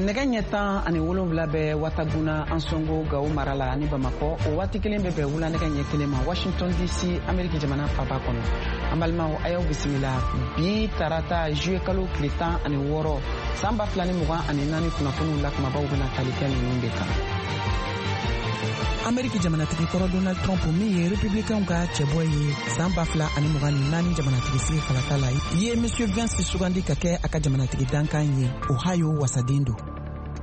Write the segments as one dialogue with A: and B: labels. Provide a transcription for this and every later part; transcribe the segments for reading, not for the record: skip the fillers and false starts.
A: Nɛgɛ ɲɛ 17 bɛ Wataguna, Ansongo, Gawo mara la ani Bamakɔ. O waati kelen bɛ bɛn wula nɛgɛ ɲɛ 1 ma Washington DC, Ameriki jamana faba kɔnɔ. An balimaw, a y'aw bisimila bi tarata juillet kalo tile 16 san 2024 kunnafoniw la, kumabaw bɛna tali kɛ ninnu de kan. Ameriki jamanatigi kɔrɔ Donald Trump, min ye Republicainw ka cɛbɔ ye san 2024 jamanatigi sigi kalata la, ye Monsieur Vance sugandi ka kɛ a ka jamanatigi dankan ye. Ohio wasaden don.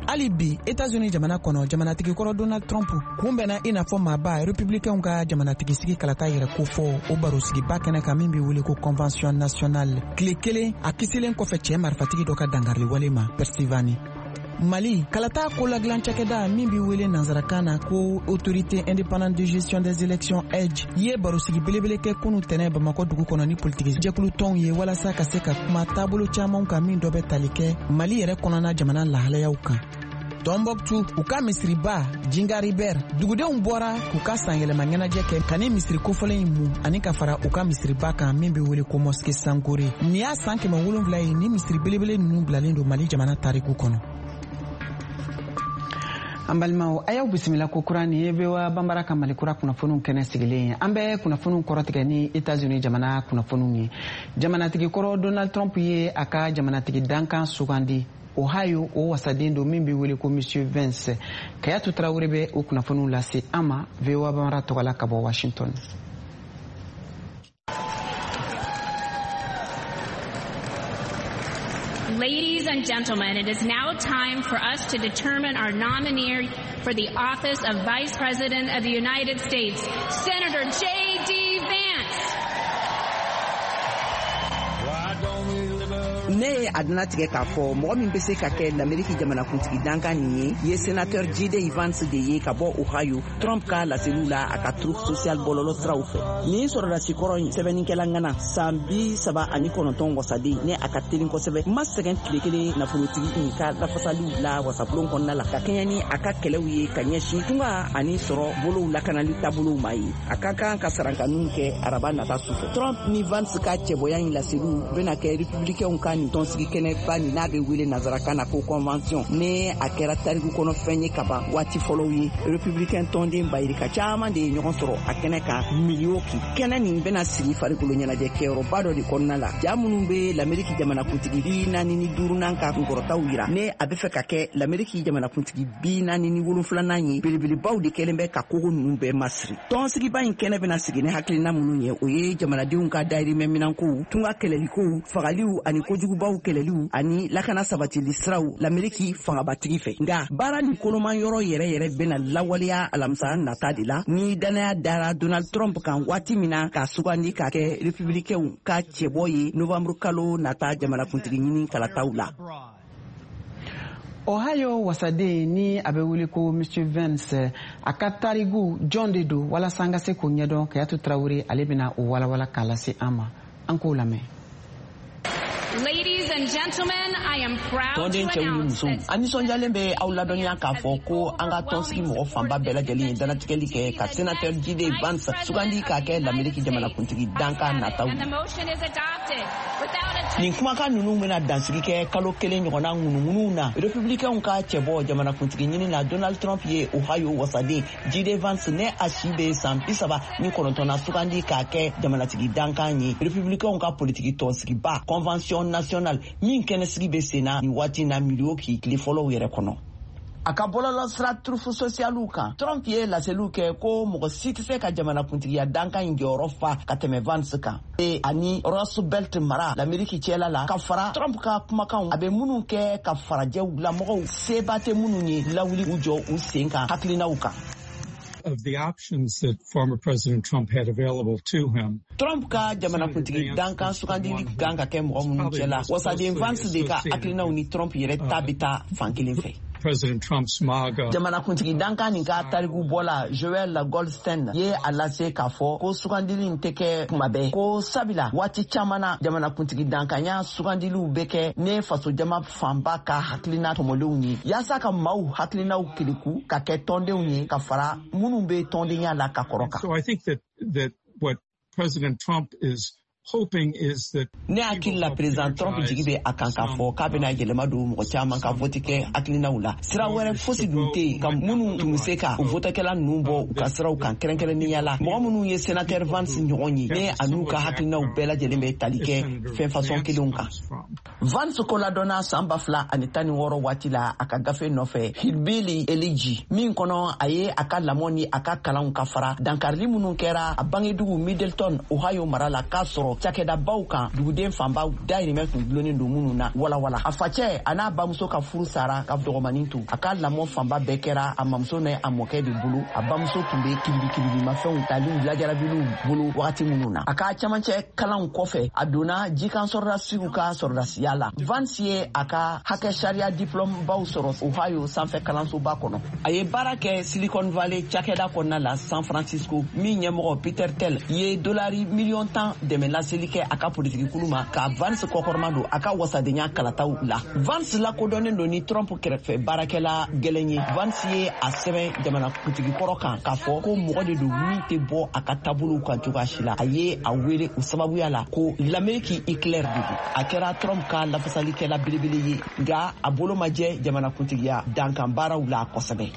A: Hali bi Etats-Unis jamana kɔnɔ, jamanatigi kɔrɔ Donald Trump kunbɛnna i n'a fɔ maaba Republicainw ka jamanatigi sigi kalata yɛrɛ kofɔ o barosigiba kɛnɛ kan min bɛ wele ko Convention nationale, tile kelen a kisilen kɔfɛ cɛɛ marifatigi dɔ ka dangariliwale ma Pennsylvanie. Mali kalata koladilan cakɛda min bɛ wele nansarakan na ko Autorité indépendante de gestion des élections, AIGE, ye barosigi belebele kɛ kunu tɛnɛ Bamakɔ dugu kɔnɔ ni politiki jɛkulu tɔnw ye, walasa ka se ka kuma taabolo caman kan, min dɔ bɛ tali kɛ Mali yɛrɛ kɔnɔna jamana lahalayaw kan. Tɔnbɔkutu, u ka misiriba Jingaribɛr dugudenw bɔra k'u ka sanyɛlɛma ɲɛnajɛ kɛ ka ni misiri kofɔlen in mun ani ka fara u ka misiriba kan min bɛ wele ko Mosquée Sankore. Nin y'a san 700 ye ni misiri belebele ninnu bilalen don Mali jamana tariku kɔnɔ. An balimaw, a y'aw bisimila ko kura. Nin ye VOA Banbara ka Mali kura kunnafoniw kɛnɛ sigilen ye. An bɛ kunnafoniw kɔrɔtigɛ ni Etats-Unis jamana kunnafoniw ye. Jamanatigi kɔrɔ Donald Trump ye a ka jamanatigi dankan sugandi. Ohio, o wasaden don min bɛ wele ko Monsieur Vance. Kayatu Tarawele bɛ o kunnafoniw lase an ma VOA Banbara tɔgɔ la ka bɔ Washington.
B: Ladies and gentlemen, it is now time for us to determine our nominee for the office of Vice President of the United States, Senator J.D. Vance.
C: Ne ye a tigɛ k'a fɔ mɔgɔ min bɛ se ka kɛ Lameriki jamanakuntigi dankan nin ye ye sénateur J.D. Vance de ye ka bɔ Ohio. Trump ka laseliw la a ka Truth Social bɔlɔlɔ siraw fɛ, nin sɔrɔdasi kɔrɔ in, sɛbɛnnikɛla ŋana, san 39 wasaden, ne a ka telin kosɛbɛ, ma sɛgɛn tile kelen nafolotigi nin ka lafasaliw la wasabulon kɔnɔna la, ka kɛɲɛ ni a ka kɛlɛw ye ka ɲɛsin tunga ani sɔrɔ bolow lakanali taabolow ma ye. A ka kan ka sarankaniw kɛ araba nata sufɛ. Trump ni Vance ka cɛbɔya in laseliw bena kɛ Republicainw ka nin tɔnsigi kɛnɛba nin, n'a be wele nansarakan na ko convention, ne a kɛra tariku kɔnɔ fɛn ye kaban waati fɔlɔw ye. Republicain tɔnden bayirika caaman de ye ɲɔgɔn sɔrɔ a kɛnɛ kan Milwaukee. Kɛnɛ nin bena sigi farikolo ɲɛnajɛ kɛyɔrɔba dɔ de kɔnɔna la. Ja minnu be Lameriki jamanakuntigi 45nan ka kunkɔrɔtaw yira, ne a be fɛ ka kɛ Lameriki jamanakuntigi 47nan ye, belebelebaw de kɛlen bɛ ka kogo nunu bɛɛ masiri. Tɔnsigiba in kɛnɛ bɛna sigi ni hakilina minnu ye, o ye jamanadenw ka dayirimɛ minankow, tunga kɛlɛlikow, fagaliw ani kojugubaw kɛlɛliw ani lakana sabatili siraw Lameriki fangabatigi fɛ. Nka baara nin koloman yɔrɔ yɛrɛ yɛrɛ bɛna lawaleya alamisa nata de la, ni dannaya dara Donald Trump kan waati min na k'a sugandi ka kɛ Republicainw ka cɛbɔ ye novembre kalo nata jamanakuntigi ɲini kalataw la.
A: Ohio wasaden ni a bɛ wele ko Monsieur Vance, a ka tarigu jɔn de don? Walasa an ka se k'o ɲɛdɔn, Kayatu Tarawele, ale bɛna o walawala k'a lase an ma. An k'o lamɛn.
B: Ladies and gentlemen, I am proud to
C: Tɔnden cɛw ni
B: announce
C: musow,
B: that
C: an nisɔndiyalen bɛ aw ladɔnniya k'a fɔ ko an ka tɔnsigi mɔgɔ fanba bɛɛ lajɛlen ye danatigɛli kɛ ka sénateur J.D. Vance sugandi k'a kɛ Lameriki jamanakuntigi dankan nataw
B: And
C: ye.
B: the motion is adopted without a
C: Nin kumakan ninnu bɛna dansigi kɛ kalo kelen ɲɔgɔnna ŋunuŋunuw na. Republicainw ka cɛbɔ jamanakuntigi ɲini na, Donald Trump, ye Ohio wasaden J.D. Vance, ne a si bɛ san 39 na, sugandi k'a kɛ jamanatigi dankan ye Republicainw ka politiki tɔnsigiba Convention nationale min kɛnɛsigi bɛ sen na nin waati na Milwaukee tile fɔlɔw yɛrɛ kɔnɔ. A ka bɔlɔlɔ sira Truth Socialw kan, Trump ye laseliw kɛ ko mɔgɔ si tɛ se ka jamanakuntigiya dankan in jɔyɔrɔ fa ka tɛmɛ Vance kan e ani Rust Belt mara Lameriki cɛla la, ka fara Trump ka kumakanw a bɛ minnu kɛ ka farajɛw lamɔgɔw seba tɛ minnu ye lawuli u jɔ u sen kan hakilinaw kan.
D: Of the options that former President Trump had available to him,
C: Trump ka jamanakuntigi dankan sugandili kan ka kɛ mɔgɔ minnu cɛla, wasaden Vance de ka hakilinaw ni Trump yɛrɛ ta bɛ taa fan kelen fɛ.
D: President Trump's MAGA
C: Jamanakuntigi dankan nin ka tariku bɔla Joel Goldstein ye a lase k'a fɔ ko sugandili in tɛ kɛ kuma bɛɛ, ko sabula waati caman na jamanakuntigi dankanya sugandiliw bɛ kɛ ne fasojama fanba ka hakilina tɔmɔlenw ye, yaasa ka maaw hakilinaw keleku ka kɛ tɔndenw ye ka fara minnu bɛ tɔndenya la ka kɔrɔ kan.
D: So I think that what President Trump is hoping is that
C: Ne hakili la, Président Trump jigi bɛ a kan k'a fɔ k'a bɛna yɛlɛma don mɔgɔ caman ka vote kɛ hakilinaw la. Sira wɛrɛ fosi dun tɛ yen ka minnu tun bɛ se ka o votekɛla ninnu bɔ u ka siraw kan, kɛrɛnkɛrɛnnenya la mɔgɔ minnu ye sénateur Vance ɲɔgɔn ye, ne a n'u ka hakilinaw bɛɛ lajɛlen bɛ tali kɛ fɛn fasɔn kelenw kan. Vance koladɔnna san 2016 waati la, a ka gafe nɔfɛ Hillbilly Elegy, min kɔnɔ a ye a ka lamɔ ni a ka kalanw ka fara dankarili minnu kɛra a bangedugu Middletown, Ohio mara la, k'a sɔrɔ cakɛdabaw kan duguden fanba dayirimɛ tun gulonnen don minnu na walawala. A facɛ a n'a bamuso ka furu sara ka dɔgɔmanin to. A ka lamɔ fanba bɛɛ kɛra a mamuso ni a mɔkɛ de bolo. A bamuso tun bɛ kiribi kiribimafɛnw taliw lajarabiliw bolo wagati minnu na. A ka camancɛ kalanw kɔfɛ, a donna jikan sɔrɔdasiw ka sɔrɔdasiya la. Vance ye a ka hakɛ sariya diplôme baw sɔrɔ Ohio sanfɛ kalansoba kɔnɔ. A ye baara kɛ Silicon Valley cakɛda kɔnɔna la San Francisco, min ɲɛmɔgɔ Peter Thiel ye dolari miliyɔn 10 dɛmɛ laseli kɛ a ka politikikulu ma ka Vance kɔkɔrɔma don a ka wasadenya kalataw la. Vance lakodɔnnen don ni Trump kɛrɛfɛ baarakɛla gɛlɛn ye. Vance ye a sɛbɛn jamanakuntigi kɔrɔ kan k'a fɔ ko mɔgɔ de don min tɛ bɔ a ka taabolow kan cogoya si la. A ye a wele o sababuya la ko l'Amérique Hitler de don. A kɛra Trump ka lafasalikɛla belebele ye, nka a bolo ma jɛ jamanakuntigiya dankan baaraw la kosɛbɛ.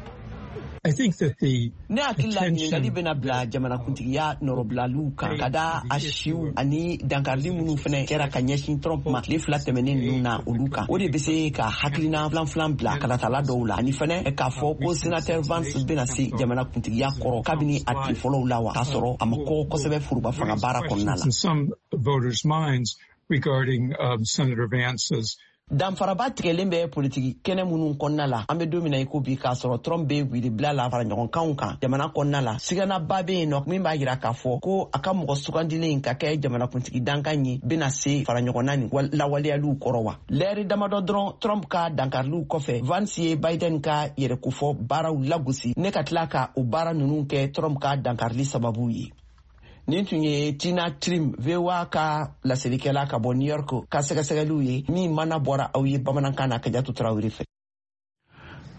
D: I think that the
C: Ne hakili la, ɲininkali bɛna bila jamanakuntigiya nɔrɔbilaliw kan ka da a siw ani dankarili minnu fɛnɛ kɛra ka ɲɛsin Trump ma tile 2 tɛmɛnen ninnu na, olu kan. O de bɛ se ka hakilina filan filan bila kalatala dɔw la, ani fɛnɛ k'a fɔ ko sénateur Vance bɛna se jamanakuntigiya kɔrɔ kabini a tile fɔlɔw la wa, k'a sɔrɔ a ma kɔgɔ kosɛbɛ foroba fanga baara kɔnɔna la.
D: in some voters' minds regarding Senator Vance's
C: Danfaraba tigɛlen bɛ politiki kɛnɛ minnu kɔnɔna la an bɛ don min na i ko bi, k'a sɔrɔ Trump bɛ wilibila la fara ɲɔgɔnkanw kan jamana kɔnɔna la, siganaba bɛ yen nɔ min b'a yira k'a fɔ ko a ka mɔgɔ sugandilen ka kɛ jamanakuntigi dankan ye bɛna se fara ɲɔgɔnna ni lawaleyaliw kɔrɔ wa. Lɛri damadɔ dɔrɔn Trump ka dankariliw kɔfɛ, Vance ye Biden ka yɛrɛkofɔ baaraw lagosi ne ka tila ka o baara ninnu kɛ Trump ka dankarili sababu ye. Nin tun ye Tina Trim, VOA ka laselikɛla ka bɔ New York, ka sɛgɛsɛgɛliw ye min mana bɔra aw ye bamanankan na Kajatu Tarawele fɛ.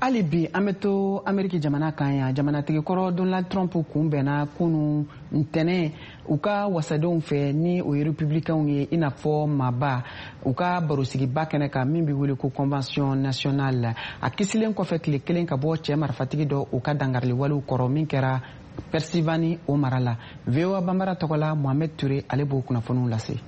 A: Hali bi an bɛ to Ameriki jamana kan yan. Jamanatigi kɔrɔ Donald Trump kunbɛnna kunu ntɛnɛn u ka wasadenw fɛ, ni o ye Republicainw ye, i n'a fɔ maaba u ka barosigiba kɛnɛ kan min bɛ wele ko Convention nationale, a kisilen kɔfɛ tile kelen ka bɔ cɛ marifatigi dɔ u ka dangariliwalew kɔrɔ min kɛra Pennsylvanie, o mara la. VOA Banbara tɔgɔ la, Mohamed Touré, ale b'o kunnafoniw lase.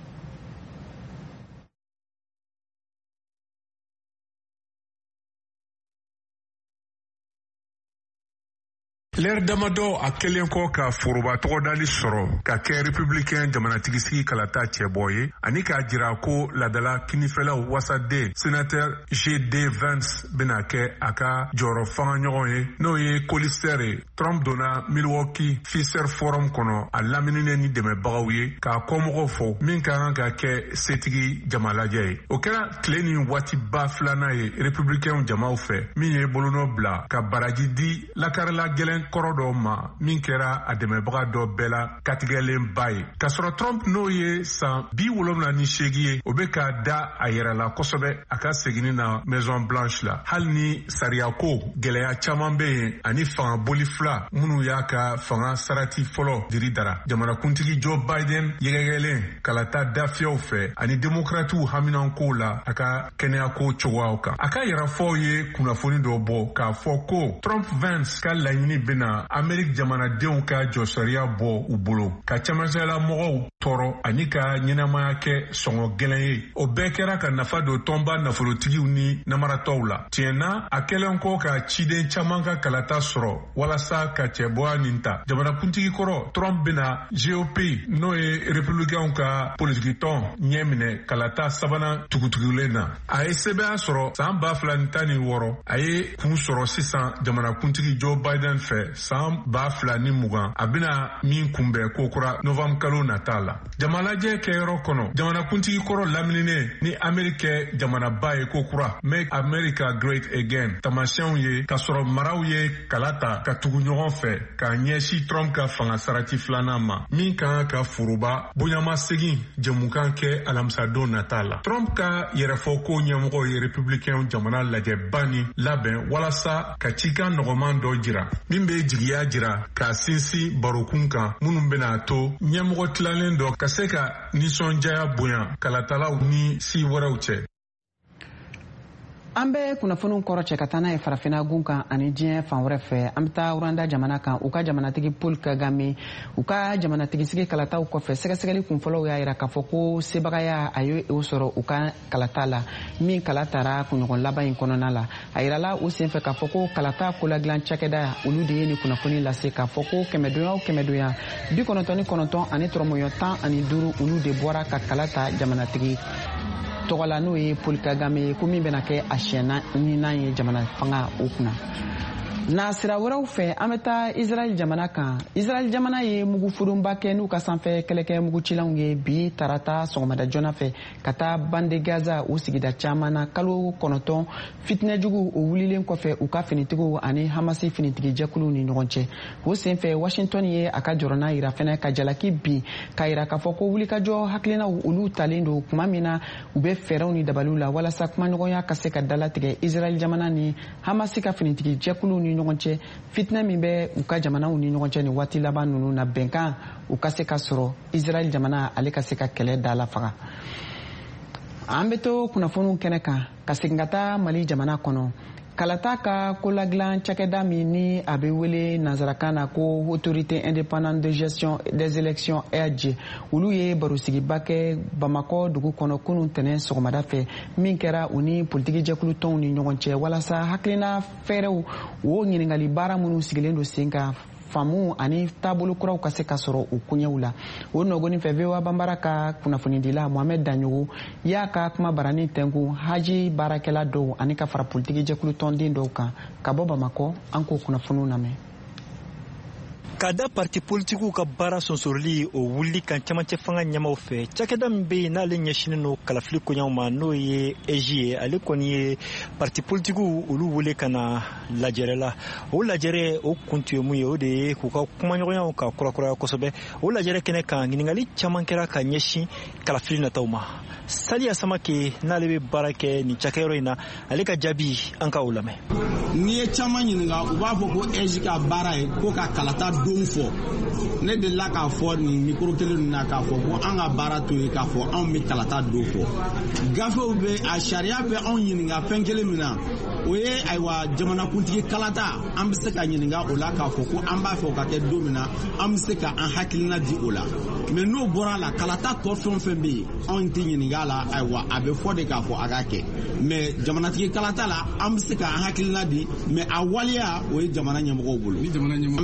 E: Lɛri damadɔ a kɛlen kɔ ka foroba tɔgɔdali sɔrɔ ka kɛ Républicain jamanatigisigi kalata cɛbɔ ye, ani k'a jira ko ladala kinifɛlaw wasaden sénateur J.D. Vance bɛna kɛ a ka jɔyɔrɔ fanga ɲɔgɔn ye, n'o ye colistier ye, Trump donna Milwaukee Fiserv Forum kɔnɔ, a lamininen ni dɛmɛbagaw ye, k'a kɔmɔgɔw fɔ min ka kan ka kɛ setigi jamalajɛ ye. O kɛra tile ni waatiba filanan ye Républicain jamaw fɛ min ye bolonɔ bila ka baraji di lakarila gɛlɛn kɔrɔ dɔ ma min kɛra a dɛmɛbaga dɔ bɛɛ la katigɛlenba ye. K'a sɔrɔ Trump, n'o ye san 78 ye, o bɛ ka da a yɛrɛ la kosɛbɛ a ka seginni na Maison Blanche la, hali ni sariyako gɛlɛya caman bɛ yen ani fanga boli fila minnu y'a ka fanga sarati fɔlɔ diri dara. Jamanakuntigi Joe Biden yɛgɛyɛgɛlen kalata dafiyɛw fɛ ani Demokratiw haminankow la a ka kɛnɛyako cogoyaw kan, a ka yɛrɛfɔw ye kunnafoni dɔ bɔ k'a fɔ ko Trump Vance ka laɲini bɛna Ameriki jamanadenw ka jɔsariya bɔ u bolo, ka camancɛla mɔgɔw tɔɔrɔ ani ka ɲɛnamaya kɛ sɔngɔ gɛlɛn ye. O bɛɛ kɛra ka nafa don tɔnba nafolotigiw ni namaratɔw la. Tiɲɛ na, a kɛlen kɔ ka ciden caman ka kalata sɔrɔ walasa ka cɛbɔya nin ta, jamanakuntigi kɔrɔ Trump bɛna GOP, n'o ye Républicainw ka politikitɔn, ɲɛ minɛ kalata sabanan tugutugulen na. A ye sɛbɛya sɔrɔ san 2016, a ye kun sɔrɔ sisan jamanakuntigi Joe Biden fɛ san 2020, a bɛna min kunbɛn kokura novembre kalo nata la. Jamalajɛ kɛyɔrɔ kɔnɔ, jamanakuntigi kɔrɔ lamininen ni Ameriki kɛ jamanaba ye kokura, Make America Great Again tamasiyɛnw ye, k'a sɔrɔ maraw ye kala ta ka tugu ɲɔgɔn fɛ k'a ɲɛsin Trump ka fanga sarati filanan ma, min ka kan ka foroba bonyamasegin jɛmukan kɛ alamisadon nata la. Trump ka yɛrɛfɔko ɲɛmɔgɔ ye Républicain jamana lajɛba ni labɛn walasa ka cikan nɔgɔman dɔ jira min bɛ jigiya jira k'a sinsin barokun kan minnu bɛna to ɲɛmɔgɔ tilalen dɔ ka se ka nisɔndiya bonya kalatalaw ni si wɛrɛw cɛ.
A: An bɛ kunnafoniw kɔrɔ cɛ ka taa n'a ye farafinna gun kan ani diɲɛ fan wɛrɛ fɛ. An bɛ taa Rwanda jamana kan, u ka jamanatigi Paul Kagame, u ka jamanatigisigi kalataw kɔfɛ, sɛgɛsɛgɛli kunfɔlɔw y'a yira k'a fɔ ko sebagaya a ye o sɔrɔ u ka kalata la min kala tara kunɲɔgɔn laban in kɔnɔna la. A yirala o senfɛ k'a fɔ ko kalata koladilan cakɛda, olu de ye nin kunnafoni lase k'a fɔ ko kɛmɛdonya o kɛmɛdonya, 99.15, olu de bɔra ka kala ta jamanatigi tɔgɔ la, n'o ye Paul Kagame ye, ko min bɛna kɛ a siɲɛ naaninan ye jamana fanga o kunna. Na sira wɛrɛw fɛ, an bɛ taa Israɛl jamana kan. Israɛl jamana ye mugu furunba kɛ n'u ka sanfɛ kɛlɛkɛ mugucilanw ye bi tarata sɔgɔmada joona fɛ ka taa Bande Gaza o sigida caman na, kalo 9 fitinɛjugu o wulilen kɔfɛ u ka finitigiw ani Hamasi finitigi jɛkuluw ni ɲɔgɔn cɛ. O senfɛ, Washington ye a ka jɔrɔna yira fɛnɛ, ka jalaki bin, k'a yira k'a fɔ ko wulikajɔ hakilinaw olu talen don kuma min na u bɛ fɛɛrɛw ni dabaliw la walasa kumaɲɔgɔnya ka se ka dalatigɛ Israɛl jamana ni Hamasi ka finitigi jɛkuluw ni ɲɔgɔn cɛ, fitinɛ min bɛ u ka jamanaw ni ɲɔgɔn cɛ nin waati laban ninnu na, bɛnkan u ka se ka sɔrɔ, Israɛl jamana ale ka se ka kɛlɛ da la faga. An bɛ to kunnafoniw kɛnɛ kan ka segin ka taa Mali jamana kɔnɔ. Kalata ka koladilan cakɛda min ni a bɛ wele nansarakan na ko Autorité indépendante de gestion des élections, AIGE, olu ye barosigiba kɛ Bamakɔ dugu kɔnɔ kunun tɛnɛn sɔgɔmada fɛ, min kɛra u ni politiki jɛkulu tɔnw ni ɲɔgɔn cɛ, walasa hakilina fɛɛrɛw o ɲininkali baara minnu sigilen don sen kan, faamu ani taabolo kuraw ka se ka sɔrɔ u koɲɛw la. O nɔgɔni fɛ, VOA Banbara ka kunnafonidila Mohamɛd Daɲogo y'a ka kuma barani tɛnku haji baarakɛla dɔw ani ka fara politiki jɛkulu tɔnden dɔw kan ka bɔ Bamakɔ. An k'o kunnafoniw lamɛn.
F: Ka da parti politikiw ka baara sonsoroli o wulili kan camancɛ fanga ɲɛmaw fɛ, cakɛda min bɛ yen n'ale ɲɛsinen don kalafili koɲaw ma, n'o ye AIGE ye, ale kɔni ye parti politikiw olu wele ka na lajɛrɛ la. O lajɛrɛ o kun tun ye mun ye? O de ye k'u ka kumaɲɔgɔnyaw ka kurakuraya kosɛbɛ. O lajɛrɛ kɛnɛ kan, ɲininkali caman kɛra ka ɲɛsin kalafili nataw ma. Saliya Samake, n'ale bɛ baara kɛ nin cakɛyɔrɔ in na, ale ka jaabi, an ka o lamɛn.
G: N'i ye caman ɲininka, u b'a fɔ ko AIGE ka baara ye ko ka kalata don fɔ. Ne delila k'a fɔ nin micro kelen ninnu na k'a fɔ ko an ka baara to ye k'a fɔ anw bɛ kalata don fɔ. Gafew bɛ a sariya bɛ anw ɲininka fɛn kelen min na, o ye ayiwa jamanakuntigi kalata. An bɛ se ka ɲininka o la k'a fɔ ko an b'a fɛ o ka kɛ don min na, an bɛ se ka an hakilina di o la. Mais n'o bɔra a la, kalata tɔ fɛn o fɛn bɛ yen, anw tɛ ɲininka a la. Ayiwa, a bɛ fɔ de k'a fɔ a ka kɛ, mais jamanatigi kalata la, an bɛ se ka an hakilina di, mais a waleya, o ye jamana ɲɛmɔgɔw bolo. An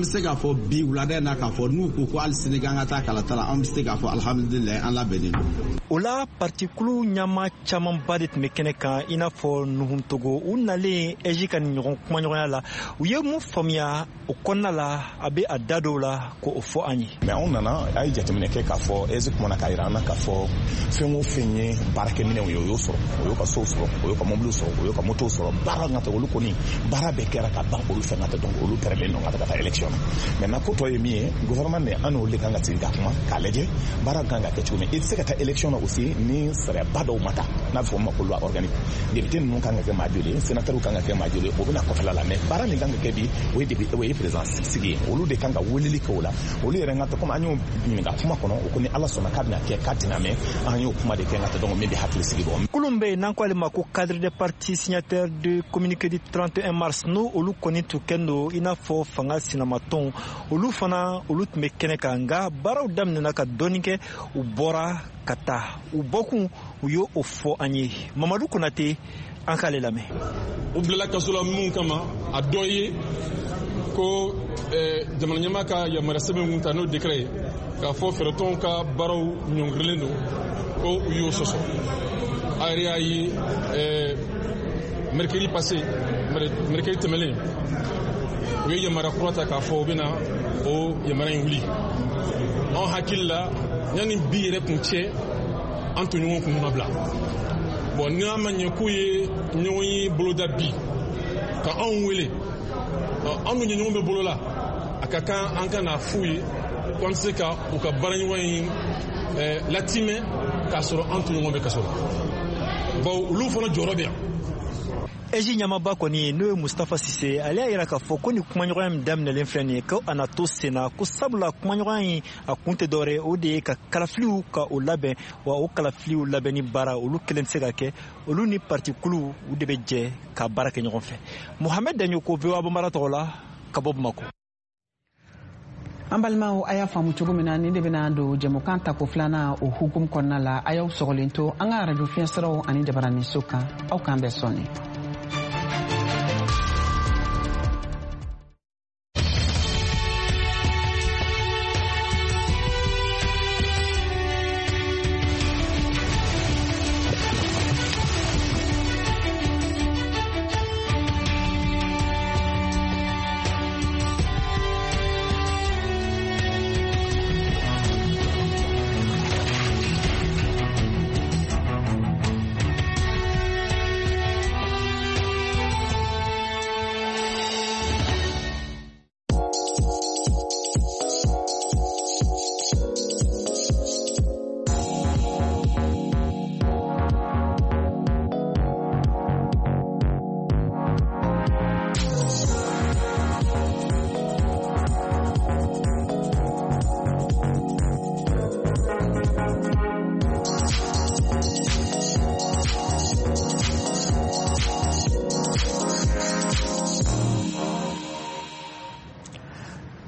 G: bɛ se k'a fɔ bi wulada in na k'a fɔ n'u ko ko hali sini k'an ka taa kalata la, an bɛ se k'a fɔ alihamudulilayi, an labɛnnen don.
F: O la, partikulu ɲama camanba de tun bɛ kɛnɛ kan, i n'a fɔ Nuhun Togo. U nalen AIGE ka nin ɲɔgɔn kumaɲɔgɔnya la, u ye mun faamuya o kɔnɔna la? A bɛ a da dɔw la k'o fɔ an ye.
H: Mais anw nana, a ye jateminɛ kɛ k'a fɔ AIGE kumana k'a yira an na k'a fɔ fɛn o fɛn ye baarakɛminɛnw ye, o y'o sɔrɔ, o y'o ka sow sɔrɔ, o y'o ka mɔbiliw sɔrɔ, o y'o ka motow sɔrɔ. Baara ka olu kɔni, baara bɛɛ kɛra ka ban olu fɛ ka taa. Donc olu pɛrɛlen don ka taa élection na. Maintenant, ko tɔ ye min ye, gouvernement de, an n'olu de kan ka sigi ka kuma k'a lajɛ baara kan ka kɛ cogo min. I tɛ se ka taa élection na aussi ni sariyaba dɔw ma ta, n'a bɛ fɔ o ma ko loi organique. Député ninnu kan ka kɛ maa joli ye, sénateur kan ka kɛ maa joli ye, o bɛna kɔfɛla la. Mais baara min kan ka kɛ bi, o ye député, o ye président sigi ye, olu de kan ka weleli kɛ o la. Olu yɛrɛ ka komi an y'o ɲininka kuma kɔnɔ, o ko ni Ala sɔnna k'a bɛna kɛ, k'a tɛna mɛn. An y'o kuma de kɛ ka taa. Donc min bɛ hakili sigi bɔ.
F: Kulun bɛ yen n'an ko ale ma ko cadre des partis signataires de communiqué du 31 mars, n'o olu kɔni tun kɛlen don i n'a fɔ fanga sinamatɔnw, olu fana olu tun bɛ kɛnɛ kan. Nka baaraw daminɛna ka dɔɔni kɛ, u bɔra ka taa. U bɔkun, u y'o o fɔ an ye. Mamadu Konate, an k'ale lamɛn.
I: U bilala kaso la mun kama? A dɔ ye ko jamana ɲɛmaa ka yamaruya sɛbɛn kun ta, n'o décret ye k'a fɔ fɛɛrɛtɔnw ka baaraw ɲɔngirilen don, ko u y'o sɔsɔ. A yɛrɛ y'a ye, mercredi passé, mercredi tɛmɛlen, u ye yamaruya kura ta k'a fɔ u bɛna o yamaruya in wuli. Anw hakili la, yanni bi yɛrɛ kun cɛ, an tɔɲɔgɔn kun ka bila. Bon, n'a ma ɲɛ k'u ye ɲɔgɔn ye boloda bi ka anw wele, an dun ye ɲɔgɔn bɛ bolo la, a ka kan an ka n'a f'u ye ko an tɛ se ka u ka baaraɲɔgɔn in latimɛ k'a sɔrɔ an tɔɲɔgɔn bɛ kaso la, bawo olu fana jɔyɔrɔ bɛ yan.
F: AIGE ɲɛmaaba kɔni, n'o ye Mustafa Sise, ale y'a yira k'a fɔ ko nin kumaɲɔgɔnya min daminɛlen filɛ nin ye, ko a na to sen na, ko sabula kumaɲɔgɔnya in a kun tɛ dɔwɛrɛ, o de ye ka kalafiliw ka o labɛn. Wa o kalafiliw labɛnni baara, olu kelen tɛ se ka kɛ, olu ni partikuluw u de bɛ jɛ ka baara kɛ ɲɔgɔn fɛ. Mohamed Daɲoko, VOA Bambara tɔgɔ la, ka bɔ Bamakɔ.
A: An balimaw, a y'a faamu cogo min na, nin de bɛna don jɛmukan tako filanan o hukumu kɔnɔna la. A y'aw sɔgɔlen to an ka arajo fiɲɛsiraw ani jabaraninso kan. Aw k'an bɛn sɔɔni.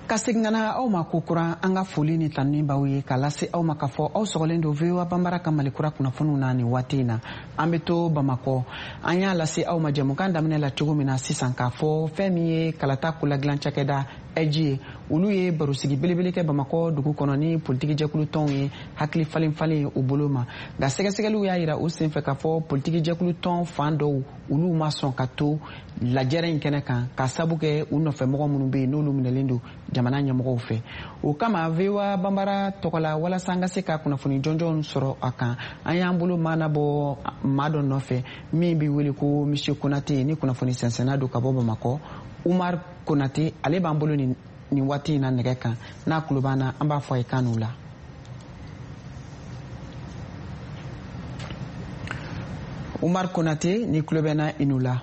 A: Ka segin ka na aw ma kokura, an ka foli ni tanuni b'aw ye k'a lase aw ma k'a fɔ aw sɔgɔlen don VOA Banbara ka Malikura kunnafoniw na. Nin waati in na, an bɛ to Bamakɔ. An y'a lase aw ma jɛmukan daminɛ la cogo min na sisan, k'a fɔ fɛn min ye kalata koladilan cakɛda AIGE ye, olu ye barosigi belebele kɛ Bamakɔ dugu kɔnɔ ni politiki jɛkulu tɔnw ye, hakili falen falen u bolo ma. Nka sɛgɛsɛgɛliw y'a yira u senfɛ k'a fɔ politiki jɛkulu tɔn fan dɔw, olu ma sɔn ka to lajɛrɛ in kɛnɛ kan, ka sabu kɛ u nɔfɛmɔgɔ minnu bɛ yen, n'olu minɛlen don jamana ɲɛmɔgɔw fɛ. O kama, VOA Banbara tɔgɔ la, walasa an ka se ka kunnafoni jɔnjɔn sɔrɔ a kan, an y'an bolo maana bɔ maa dɔ nɔfɛ min bɛ wele ko Monsieur Konate, ni kunnafoni sɛnsɛnna don ka bɔ Bamakɔ. Umar Konate, ale b'an bolo nin waati in na nɛgɛ kan. N'a tulo b'an na, an b'a fɔ a ye kan n'u la. Umar Konate, ni tulo bɛ na, i n'u la.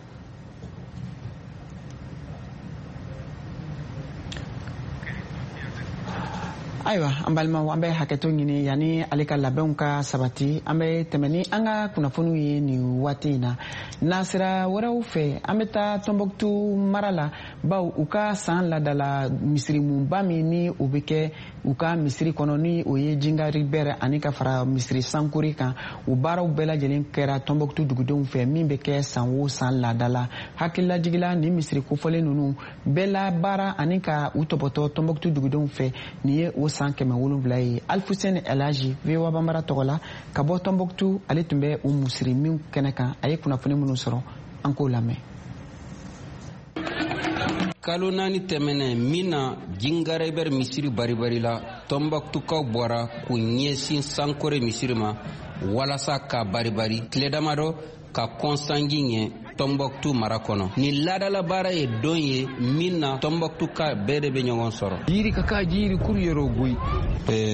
A: Ayiwa, an balimaw, an bɛ hakɛto ɲini. Yanni ale ka labɛnw ka sabati, an bɛ tɛmɛ ni an ka kunnafoniw ye nin waati in na. Nasira wɛrɛw fɛ, an bɛ taa Tɔnbɔkutu mara la, baw u ka san ladala misirimunba min ni o bɛ kɛ u ka misiri kɔnɔ, ni o ye Jingari Bɛrɛ ani ka fara misiri Sankori kan, o baaraw bɛɛ lajɛlen kɛra Tɔnbɔkutu dugudenw fɛ, min bɛ kɛ san o san laada la. Hakililajigila, ni misiri kofɔlen ninnu bɛɛ la baara ani ka u tɔbɔtɔ Tɔnbɔkutu dugudenw fɛ, nin ye o san 700 ye. Alfusɛni Elaji, VOA Banbara tɔgɔ la ka bɔ Tɔnbɔkutu, ale tun bɛ u misiri min kɛnɛ kan, a ye kunnafoni minnu sɔrɔ, an k'o lamɛn.
J: Kalo 4 tɛmɛnɛ min na Jingarebɛr misiri baribari la, Tɔnbɔkutukaw bɔra k'u ɲɛsin Sankore misiri ma walasa ka baribari tile damadɔ ka kɔn sanji ɲɛ Tɔnbɔkutu mara kɔnɔ. Nin laadala baara ye don ye min na Tɔnbɔkutuka bɛɛ de bɛ ɲɔgɔn sɔrɔ.
K: Yiri ka ka jiri kuru yɔrɔ goyi.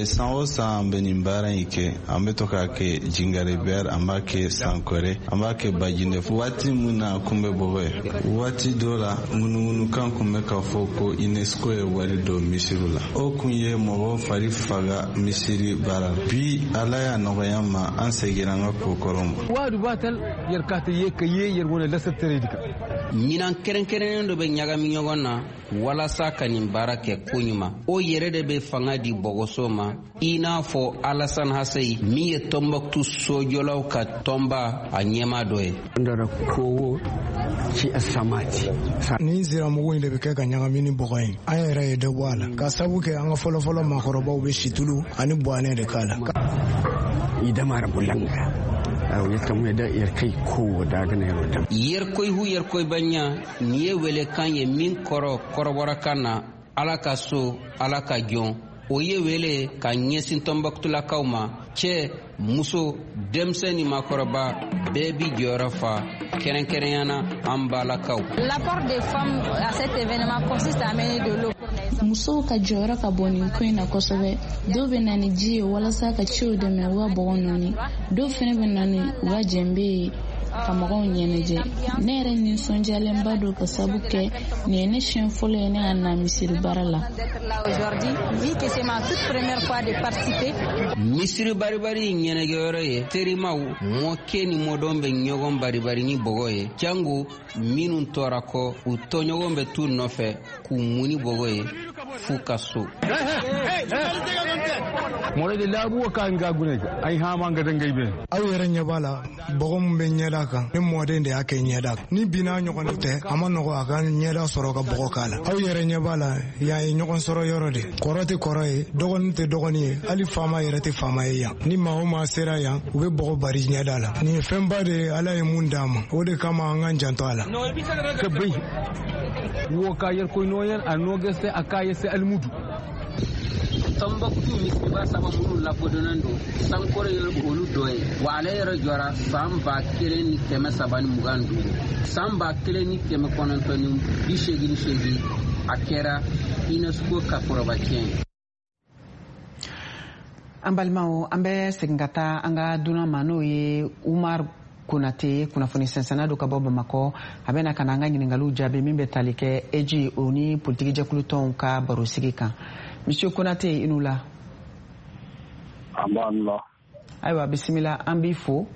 L: San o san an bɛ nin baara in kɛ. An bɛ to k'a kɛ Jingarebɛr, an b'a kɛ Sankore, an b'a kɛ Bajinɛ. Waati min na a kun bɛ bɔgɔ ye, waati dɔ la ŋunuŋunukan kun bɛ k'a fɔ ko UNESCO ye wari don misiriw la, o kun ye mɔgɔw fari faga misiri baara. Bi, Ala y'a nɔgɔya ma, an seginna an ka ko kɔrɔ ma.
K: Waadu batal yarkata ye ka ye yarwona
J: Minan kɛrɛnkɛrɛnnen dɔ bɛ ɲagami ɲɔgɔn na walasa ka nin baara kɛ koɲuman. O yɛrɛ de bɛ fanga di bɔgɔso ma, i n'a fɔ Alasan Haseyi min ye Tɔnbɔkutu sojɔlaw ka tɔnba a ɲɛmaa dɔ ye.
M: Nin siramugu in de bɛ kɛ ka ɲagami ni bɔgɔ ye. An yɛrɛ ye dɔ bɔ a la, ka sabu kɛ an ka fɔlɔfɔlɔ maakɔrɔbaw bɛ situlu ani buwanɛ de k'a la.
J: Yerkoihu yerkoibanya, nin ye welekan ye min kɔrɔ kɔrɔbɔrɔkan na Ala ka so, Ala ka jɔn. O ye wele ka ɲɛsin Tɔnbɔkutulakaw ma. Cɛ, muso, denmisɛn ni maakɔrɔba bɛɛ bi jɔyɔrɔ fa, kɛrɛnkɛrɛnya na an balakaw.
N: L'apport des femmes à cet événement consiste à amener de l'eau.
O: Musow ka jɔyɔrɔ ka bon nin ko in na kosɛbɛ. Dɔw bɛ na ni ji ye walasa ka cɛw dɛmɛ u ka bɔgɔ nɔɔni, dɔw fɛnɛ bɛ na ni u ka jɛnbe ye. ka mɔgɔw ɲɛnajɛ. Ne yɛrɛ nisɔndiyalenba don ka sabu kɛ nin ye ne siɲɛ fɔlɔ ye ne ka na misiri baara la.
J: Misiri baribari ɲɛnajɛyɔrɔ ye terimaw mɔkɛ ni mɔdɔn bɛ ɲɔgɔn baribari ni bɔgɔ ye, jango minnu tɔra kɔ, u tɔɲɔgɔn bɛ t'u nɔfɛ k'u mun ni bɔgɔ ye f'u ka so.
M: Aw yɛrɛ ɲɛ b'a la, bɔgɔ min bɛ ɲɛda kan, ne mɔden de y'a kɛ ɲɛda kan. Ni binna ɲɔgɔn tɛ, a ma nɔgɔ a ka ɲɛda sɔrɔ ka bɔgɔ k'a la. Aw yɛrɛ ɲɛ b'a la, yan ye ɲɔgɔn sɔrɔ yɔrɔ de. Kɔrɔ tɛ kɔrɔ ye, dɔgɔnin tɛ dɔgɔnin ye, hali faama yɛrɛ tɛ faama ye yan. Ni maa o maa sera yan, u bɛ bɔgɔ bari ɲɛda la. Nin ye fɛnba de ye, Ala ye mun d'an ma, o de kama an k'an janto a la.
J: Tombouctou misiriba saba minnu lakodɔnnen don, Sankore ye olu dɔ ye, wa ale yɛrɛ jɔra san 1325. San 1988 a kɛra UNESCO ka forobaciyɛn ye.
A: An balimaw, an bɛ segin ka taa an ka dunan ma, n'o ye Umar Konate, kunnafoni sɛnsɛnna don ka bɔ Bamakɔ. A bɛna ka na an ka ɲininkaliw jaabi min bɛ tali kɛ AIGE o ni politiki jɛkulu tɔnw ka barosigi kan. Monsieur Konate, i n'u la.
P: An b'an la.
A: Ayiwa, bisimila, an b'i fo.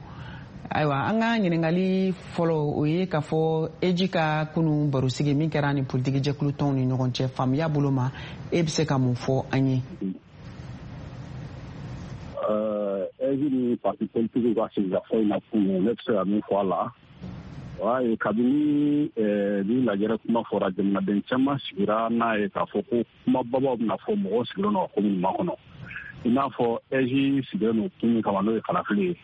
A: Ayiwa, an ka ɲininkali fɔlɔ o ye k'a fɔ AIGE ka kunu barosigi min kɛra ni politiki jɛkulu tɔnw ni ɲɔgɔn cɛ, faamuya bolo ma, e bɛ se ka mun fɔ an ye?
P: AIGE ni parti politique ka sigikafɔ in na kunu, ne bɛ se ka min fɔ a la, o y'a ye kabini ni lajɛrɛ kuma fɔra, jamanaden caman sigira n'a ye k'a fɔ ko kumababaw bɛna fɔ, mɔgɔw sigilen don ka ko minnu makɔnɔ. I n'a fɔ AIGE sigilen don kun min kama, n'o ye kalafili ye.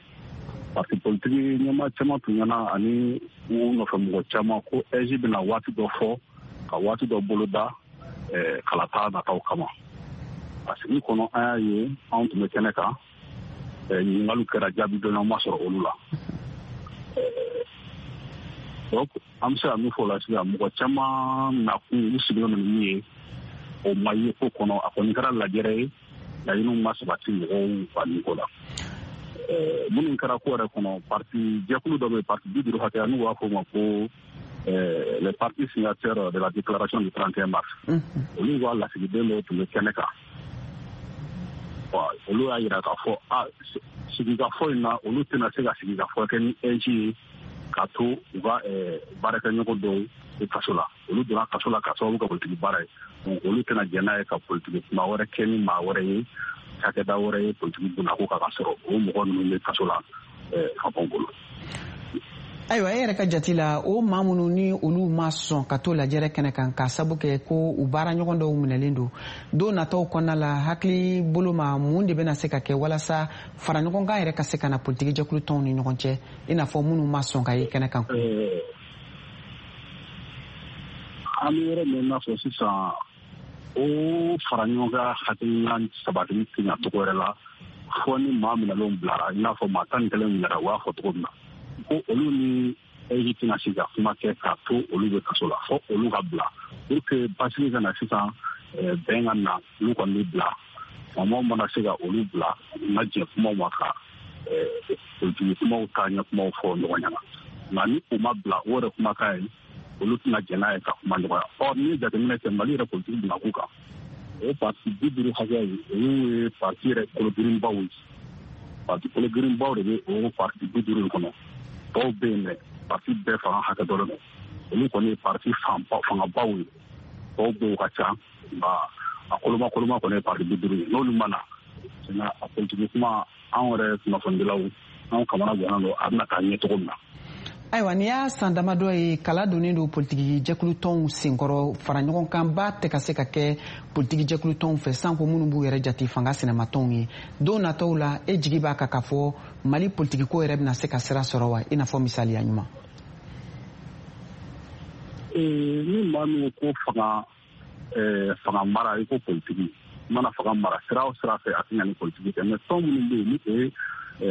P: Parti politique ɲɛmaa caman tun ɲɛna ani u nɔfɛ mɔgɔ caman ko AIGE bɛna waati dɔ fɔ ka waati dɔ boloda kalata nataw kama. A sigi kɔnɔ, an y'a ye anw tun bɛ kɛnɛ kan, ɲininkaliw kɛra, jaabi dɔnniyaw ma sɔrɔ olu la. Donc an bɛ se ka min fɔ o la sisan, mɔgɔ caman nakun u sigilen don ni min ye, o ma ye ko kɔnɔ. A kɔni kɛra lajɛrɛ ye, laɲiniw ma sabati mɔgɔw ka niko la. Minnu kɛra ko yɛrɛ kɔnɔ, parti jɛkulu dɔ bɛ yen, parti 50 hakɛya, n'u b'a fɔ o ma ko les partis signataires de la déclaration du 31 mars. Olu ka lasigiden dɔw tun bɛ kɛnɛ kan. Olu y'a jira k'a fɔ a sigikafɔ in na, olu tɛna se ka sigikafɔ kɛ ni AIGE ye k'a to u ka baarakɛɲɔgɔn dɔw kaso la. Olu donna kaso la k'a sababu kɛ politiki baara ye. Donc olu tɛna jɛn n'a ye ka politiki kuma wɛrɛ kɛ ni maa wɛrɛ ye, cakɛda wɛrɛ ye politiki bonnako kan, ka sɔrɔ o mɔgɔ ninnu bɛ kaso la faamaw bolo.
A: Ayiwa, e yɛrɛ ka jate la, o maa minnu ni olu ma sɔn ka to lajɛrɛ kɛnɛ kan k'a sabu kɛ ko u baara ɲɔgɔn dɔw minɛlen don, don nataw kɔnɔna la, hakili bolo ma, mun de bɛna se ka kɛ walasa fara ɲɔgɔn kan yɛrɛ ka se ka na politiki jɛkulu tɔnw ni ɲɔgɔn cɛ, i n'a fɔ minnu ma sɔn ka ye kɛnɛ kan?
P: An bɛ yɔrɔ min n'a fɔ sisan, o fara ɲɔgɔn kan hakilina sabatili tɛ ɲa cogo wɛrɛ la fɔ ni maa minɛlenw bilara, i n'a fɔ maa 11 minɛra, u b'a fɔ cogo min na ko olu ni AIGE tɛna se ka kuma kɛ k'a to olu bɛ kaso la, fɔ olu ka bila pour que basigi ka na sisan, bɛn ka na, olu kɔni bɛ bila. Faamaw mana se ka olu bila, u na jɛ kumaw ma ka politiki kumaw taa ɲɛ kumaw fɔ ɲɔgɔn ɲɛna. Nka ni u ma bila, o yɛrɛ kumakan ye, olu tɛna jɛn n'a ye ka kuma ɲɔgɔnya. Ɔ n'i ye jateminɛ kɛ Mali yɛrɛ politiki bunakun kan, o parti 50 hakɛya ye, olu ye parti yɛrɛ kologirinbaw ye. Parti kologirinbaw de bɛ o parti 50 in kɔnɔ. Dɔw bɛ yen dɛ, parti bɛɛ fanga hakɛ dɔ don. Olu kɔni ye parti fangabaw ye. Dɔw bɛ yen u ka ca, nka a koloma koloma kɔni ye parti 50 ye. N'olu ma na, a politiki kuma, anw yɛrɛ kunnafonidilaw, anw kamana gannen don a bɛna taa ɲɛ cogo min na.
A: Ayiwa, n'i y'a san damadɔ ye, kala donnen don politiki jɛkulu tɔnw senkɔrɔ, fara ɲɔgɔn kan ba tɛ ka se ka kɛ politiki jɛkulu tɔnw fɛ, sanko minnu b'u yɛrɛ jate fanga sinamatɔnw ye. Don nataw la, e jigi b'a kan k'a fɔ Mali politiki ko yɛrɛ bɛna se ka sira sɔrɔ wa, i n'a fɔ misaliya ɲuman?
P: Ni maa min ko fanga mara, i ko politiki mana fanga mara sira o sira fɛ, a tɛ ɲa ni politiki tɛ. Mais tɔn minnu bɛ yen ni o ye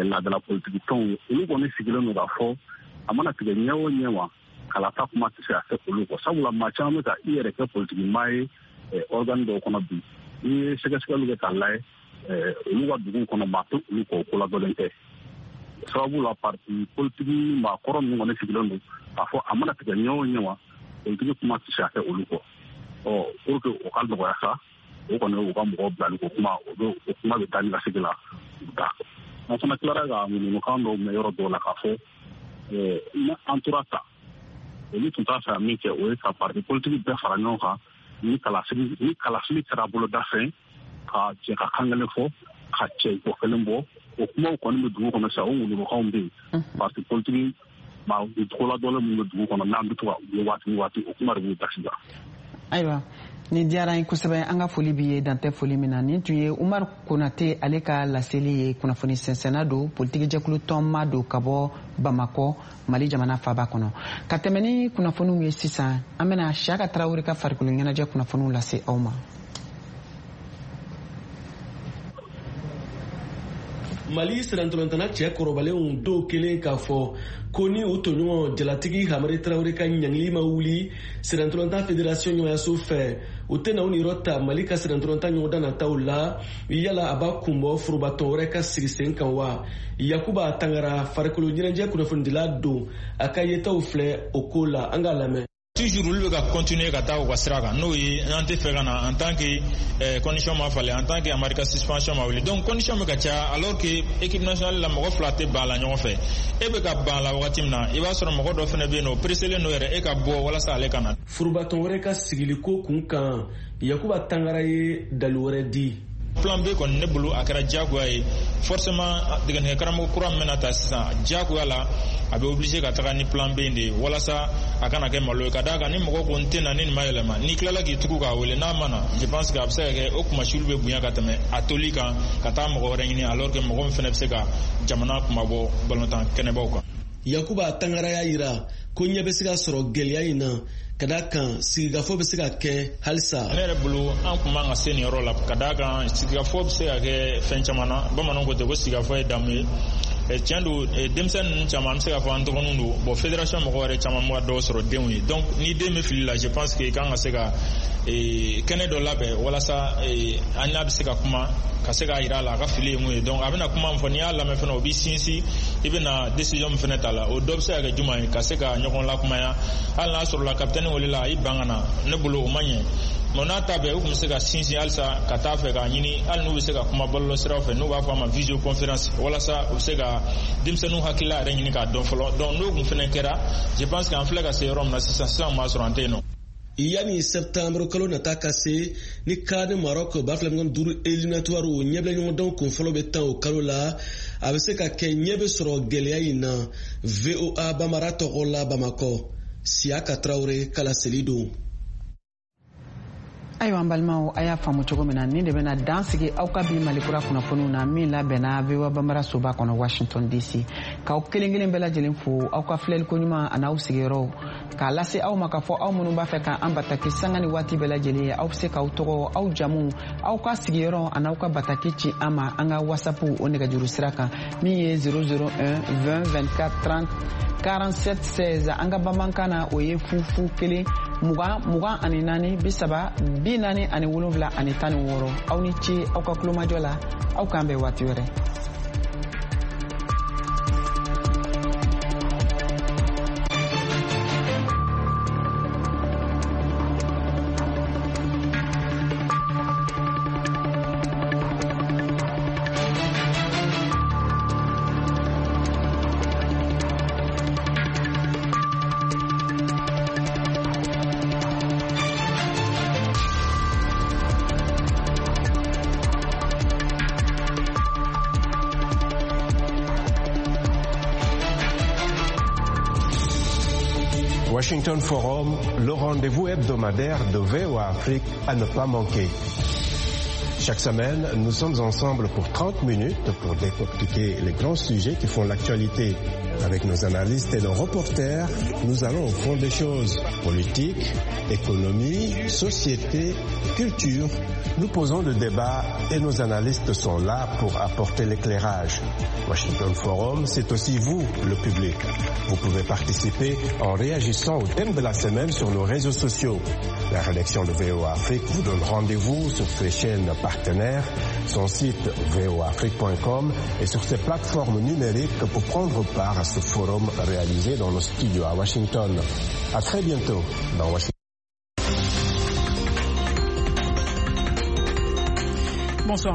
P: laadala politiki tɔnw ye, olu kɔni sigilen don k'a fɔ a mana tigɛ ɲɛ o ɲɛ ma, kalata kuma tɛ se ka kɛ olu kɔ. Sabula maa caman bɛ ka i yɛrɛ kɛ politiki maa ye organe dɔw kɔnɔ bi. N'i ye sɛgɛsɛgɛliw kɛ k'a lajɛ, olu ka dugu kɔnɔ, maa tɛ olu kɔ, o ko ladɔnlen tɛ. Sababu la parti politiki maakɔrɔ ninnu kɔni sigilen don k'a fɔ a mana tigɛ ɲɛ o ɲɛ ma, politiki kuma tɛ se ka kɛ olu kɔ. Ɔ pour que o ka nɔgɔya sa, o kɔni u ka mɔgɔw bilali ko kuma, o kuma bɛ taa ni ka segin la u ta. An fana tilara ka ŋunuŋunukan dɔw mɛn yɔrɔ dɔw la k'a fɔ ni an tora ta, olu tun t'a fɛ ka min kɛ, o ye ka parti politiki bɛɛ fara ɲɔgɔn kan ni kalafili kɛra boloda fɛn, ka jɛ ka kan kelen fɔ, ka cɛ ko kelen bɔ. O kumaw kɔni bɛ dugu kɔnɔ sisan, o ŋunuŋunukanw bɛ yen. Parti politiki maa koladɔnlen minnu bɛ dugu kɔnɔ n'an bɛ to ka u ye waati ni waati, o kuma de b'u da sisan.
A: Ayiwa, nin diyara an ye kosɛbɛ. An ka foli b'i ye dantɛ foli min na. Nin tun ye Umaru Konate ale ka laseli ye. Kunnafoni sɛnsɛnna don, politiki jɛkulu tɔnma don ka bɔ Bamakɔ, Mali jamana faaba kɔnɔ. Ka tɛmɛ ni kunnafoniw ye sisan, an bɛna Siyaka Tarawele ka farikolo ɲɛnajɛ kunnafoniw lase aw ma.
Q: Mali sirantolantana cɛ kɔrɔbalenw dɔw kelen k'a fɔ ko ni u tɔɲɔgɔn jalatigi Hamari Tarawele ka ɲangili ma wuli sirantolantan federation ɲɛmayaso fɛ, u tɛna u niyɔrɔ ta Mali ka sirantolantan ɲɔgɔndan nataw la. Yala a b'a kunbɔ forobatɔn wɛrɛ ka sigi sen kan wa? Yakuba Tangara, farikolo ɲɛnajɛ kunnafonidila don, a ka yetaw filɛ o ko la, an k'a lamɛn.
R: Toujours olu bɛ ka continuer ka taa u ka sira kan, n'o ye an tɛ fɛ ka na en tant que condition ma falen, en tant que Amari ka suspension ma wuli. Donc condition bɛ ka caya, alors que équipe nationale la mɔgɔ fila tɛ ban a la ɲɔgɔn fɛ. E bɛ ka ban a la wagati min na, i b'a sɔrɔ mɔgɔ dɔ fana bɛ yen nɔ, o presselen don yɛrɛ e ka bɔ walasa ale ka na.
Q: Forobatɔn wɛrɛ ka sigiliko kun kan, Yakuba Tangara ye dalu wɛrɛ di.
R: Plan B kɔni ne bolo a kɛra diyagoya ye. Forcément degeli karamɔgɔ kura min bɛna ta sisan, diyagoya la a bɛ obligé ka taga ni plan B in de ye walasa a kana kɛ malo ye. Ka d'a kan ni mɔgɔ ko n tɛ na ni nin ma yɛlɛma, n'i tilala k'i tugu k'a wele n'a ma na, je pense que a bɛ se ka kɛ o kumasulu bɛ bonya ka tɛmɛ a toli kan ka taa mɔgɔ wɛrɛ ɲini, alors que mɔgɔ min fana bɛ se ka jamana kumabɔ balontan kɛnɛbaw kan.
Q: Yakuba Tangara y'a yira ko ɲɛ bɛ se ka sɔrɔ gɛlɛya in na, ka d'a kan sigikafɔ bɛ se ka kɛ halisa.
R: Ne yɛrɛ bolo an kun man ka se nin yɔrɔ la, ka d'a kan sigikafɔ bɛ se ka kɛ fɛn caman na. Bamananw ko ten ko sigikafɔ ye damu ye. Tiɲɛ don, denmisɛnnin ninnu caman an bɛ se k'a fɔ an dɔgɔninw don. Bon, fédération mɔgɔw yɛrɛ caman bɛ ka dɔw sɔrɔ denw ye. Donc ni den bɛ fili la, je pense que i kan ka se ka kɛnɛ dɔ labɛn walasa an n'a bɛ se ka kuma, ka se k'a yira a la a ka fili ye mun ye. Donc a bɛna kuma min fɔ, n'i y'a lamɛn fana, o b'i sinsin, i bɛna décision min fana ta la, o dɔ bɛ se ka kɛ jumɛn ye, ka se ka ɲɔgɔn lakumaya. Hali n'a sɔrɔla capitaine welela a y'i ban ka na, ne bolo o ma ɲɛ. Mais n'a ta bɛɛ, u tun bɛ se ka sinsin halisa ka taa fɛ k'a ɲini, hali n'u bɛ se ka kuma bɔlɔlɔsiraw fɛ, n'u b'a fɔ a ma visioconférence, walasa u bɛ se ka denmisɛnninw hakilila yɛrɛ ɲini k'a dɔn fɔlɔ. Donc n'o kun fana kɛra, je pense que an filɛ ka se yɔrɔ min na sisan, sisan b'a sɔrɔ an tɛ yen nɔ.
Q: Yanni septembre kalo nata ka se, ni CAN Maroc 2025 éliminatoire o ɲɛbila ɲɔgɔndanw kun fɔlɔ bɛ tan o kalo la, a bɛ se ka kɛ ɲɛ bɛ sɔrɔ gɛlɛya in na. VOA Bambara tɔgɔ la Bamakɔ, Siyaka Tarawele ka laseli don.
A: Ayiwa, an balimaw, a y'a faamu cogo min na, nin de bɛna dan sigi aw ka bi Malikura kunnafoniw na min labɛnna VOA Bambara soba kɔnɔ Washington DC. K'aw kelen kelen bɛɛ lajɛlen fo aw ka filɛliko ɲuman an'aw sigiyɔrɔw, k'a lase aw ma k'a fɔ aw minnu b'a fɛ k'an bataki sanga ni waati bɛɛ lajɛlen ye, aw bɛ se k'aw tɔgɔ, aw jamu, aw ka sigiyɔrɔ an'aw ka bataki ci an ma an ka WhatsApp o nɛgɛjuru sira kan min ye 001 20 24 30 47 16. An ka bamanankan na o ye 0 0 1 20 24 30 47 16. Aw ni ce aw ka kulomajɔ la, aw k'an bɛn waati wɛrɛ.
S: Washington Forum, le rendez-vous hebdomadaire de VOA Afrique à ne pas manquer. Chaque semaine, nous sommes ensemble pour 30 minutes pour décortiquer les grands sujets qui font l'actualité. Avec nos analystes et nos reporters, nous allons au fond des choses. Politique, économie, société, culture. Nous posons le débat et nos analystes sont là pour apporter l'éclairage. Washington Forum, c'est aussi vous, le public. Vous pouvez participer en réagissant au thème de la semaine sur nos réseaux sociaux. La rédaction de VOA Afrique vous donne rendez-vous sur ces chaînes partenaires. partenaires, son site voafrique.com et sur ses plateformes numériques pour prendre part à ce forum réalisé dans nos studios à Washington. À très bientôt dans Washington.